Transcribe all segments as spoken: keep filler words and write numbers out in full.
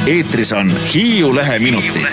eetris on Hiiu Lehe minutid.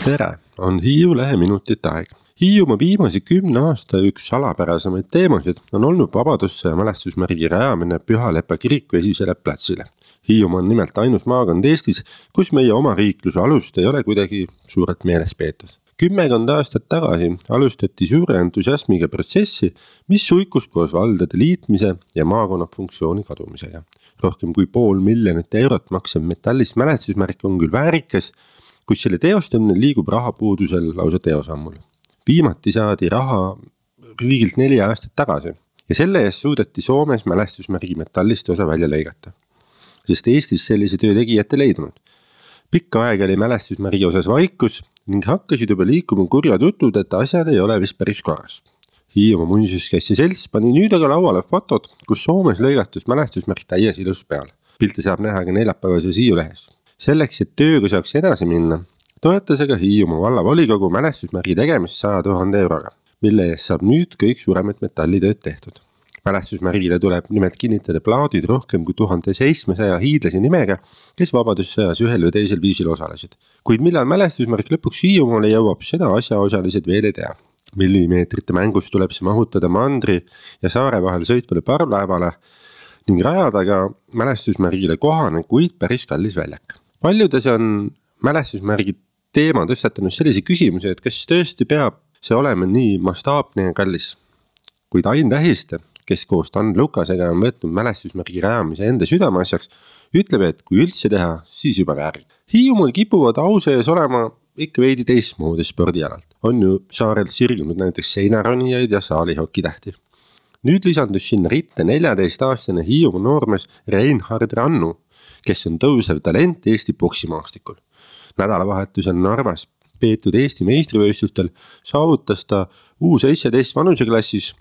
Tere, on Hiiu Lehe minutite aeg. Hiiumaa viimase kümne aasta üks salapärasemaid teemasid on olnud vabadusse ja mälestusmärgi rajamine Pühalepa kiriku esisele platsile. Hiiumaa on nimelt ainus maakond Eestis, kus meie oma riikluse alust ei ole kuidagi suurelt meeles peetud. Kümmekond aastat tagasi alustati suure entusiasmiga protsessi, mis suikus koos valdade liitmise ja maakonna funktsiooni kadumisega. Rohkem kui pool miljonit eurot maksev metallist mälestusmärk on küll väärikas, kus selle teostamine liigub rahapuudusel lausa teosammul. Viimati saadi raha riigilt neli aastat tagasi ja selle eest suudeti Soomes mälestusmärgi metallist osa välja lõigata, sest Eestis sellise töö tegijate leidunud. Pikka aega oli mälestusmärgi osas vaikus ning hakkasid juba liikuma kurjad jutud, et asjad ei ole vist päris korras. Hiiumaa muinsuskaitse selts pani nüüd aga lauale fotod, kus Soomes lõigatus mälestusmärk täies ilus peal. Pilte saab näha ka neljapäevases Hiiu Lehes. Selleks, et tööga saaks edasi minna, toetas aga Hiiumaa valla volikogu mälestusmärgi tegemist sada tuhande euroga, mille eest saab nüüd kõik suuremad metallitööd tehtud. Mälestusmärgile tuleb nimelt kinnitada plaadid rohkem kui tuhande seitsmesaja hiidlase nimega, kes vabadussõjas ühel või teisel viisil osalesid. Kuid millal mälestusmärk lõpuks Hiiumaale jõuab, seda asjaosalised veel ei tea. Millimeetrite mängus tuleb see mahutada mandri ja saare vahel sõitvale parvlaevale ning rajada ka mälestusmärgile kohane, kuid päris kallis väljak. Paljudes on mälestusmärgi teema tõstatanud sellise küsimuse, et kas tõesti peab see olema nii mastaapne ja kallis. Kuid Ain Tähiste, kes koos Tan Lukasega on võtnud mälestusmärgi rajamise enda südameasjaks, ütleb, et kui üldse teha, siis juba väärib. Hiiumaal kipuvad au sees olema ikka veidi teistmoodi spordialalt. On ju saarel sirgunud näiteks seinaronijaid ja saalihokitähti. Nüüd lisandus sinna ritte neljateist-aastane Hiiumaa noormees Reinhard Rannu, kes on tõusev talent Eesti poksimaastikul. Nädalavahetusel Narvas peetud Eesti meistrivõistlustel saavutas ta U seitseteist vanuseklassis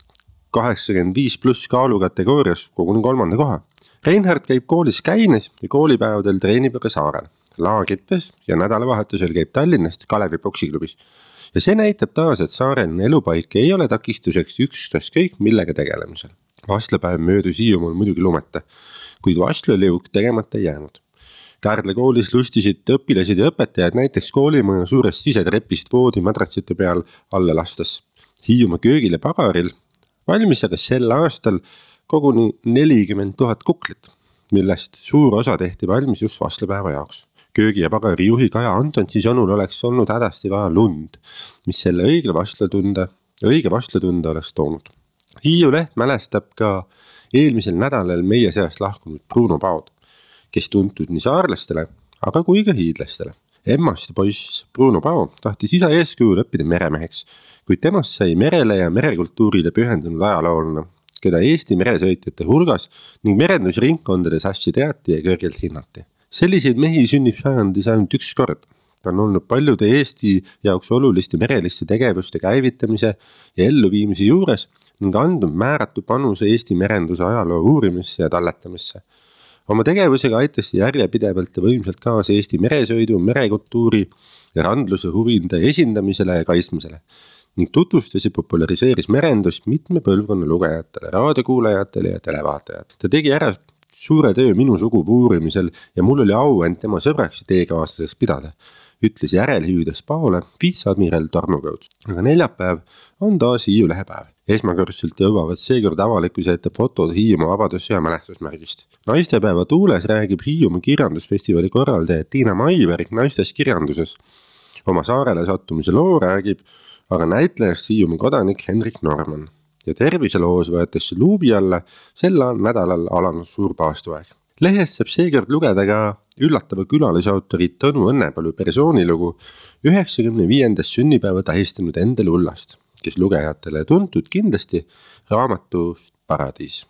kaheksakümmend viis pluss kaalu kategoorias koguni kolmanda koha. Reinhard käib koolis Käines ja koolipäevadel treenib aga saarel, laagrites ja nädalavahetusel käib Tallinnast Kalevi poksiklubis. Ja see näitab taas, et saaren elupaik ei ole takistuseks ükskõik kõik millega tegelemisel. Vastlapäev möödus Hiiumaal muidugi lumeta, kuid vastlaliuk tegemata jäänud. Kärdla koolis lustisid õpilased ja õpetajad näiteks koolimaja suurest sisetrepist voodi madratsite peal alla lastas. Hiiumaa köögil ja pagaril valmis aga sel aastal koguni nelikümmend tuhat kuklit, millest suur osa tehti valmis just vastlapäeva jaoks. Köögi ja pagari juhi Kaja Antonsi sõnul oleks olnud hädasti vaja lund, mis selle õige vastlatunda, õige vastlatunda oleks toonud. Hiiu Leht mälestab ka eelmisel nädalal meie seast lahkunud Bruno Paod, kes tuntud nii saarlastele, aga kui ka hiidlastele. Emmast poiss Bruno Pao tahtis isa eeskujul õppida meremeheks, kuid temast sai merele ja merekultuurile pühendunud ajaloolane, keda Eesti meresõitjate hulgas ning merendusringkondades hästi teati ja kõrgelt hinnati. Selliseid mehi sünnib sajandis ainult üks kord. Ta on olnud paljude Eesti jaoks oluliste mereliste tegevuste käivitamise ja elluviimise juures ning andnud määratu panuse Eesti merenduse ajaloo uurimisse ja talletamisse. Oma tegevusega aitas järjepidevalt ja võimsalt kaasa Eesti meresõidu, merekultuuri ja randluse huvinde esindamisele ja kaitsmisele ning tutvustas ja populariseeris merendust mitme põlvkonna lugejatele, raadiokuulajatele ja televaatajatele. Ta tegi ära suure töö minu sugupuu uurimisel ja mul oli au end tema sõbraks ja teekaaslaseks pidada, ütles järelhüüdes Paole viitsaadmiral Tarmo Kõuts. Aga neljapäev on taas Hiiu Lehe päev. Esmakordselt jõuavad seekord avalikkuse ette fotod Hiiumaa vabadussõja mälestusmärgist. Naistepäeva tuules räägib Hiiumaa kirjandusfestivali korraldaja Tiina Maiberg naistes kirjanduses. Oma saarele sattumise loo räägib aga näitlejast Hiiumaa kodanik Henrik Norman. Ja terviseloos võetakse luubi alla sel nädalal alanud suur paastuaeg. Lehest saab seekord lugeda ka üllatava külalisautori Tõnu Õnnepalu persoonilugu üheksakümne viiendast sünnipäeva tähistanud Endel Ullast, kes lugejatele tuntud kindlasti raamatust Paradiis.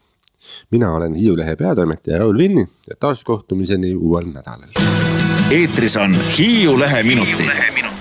Mina olen Hiiu Lehe peatoimetaja Raul Vinni ja taas kohtumiseni uuel nädalal. Eetris on Hiiu Lehe minutid.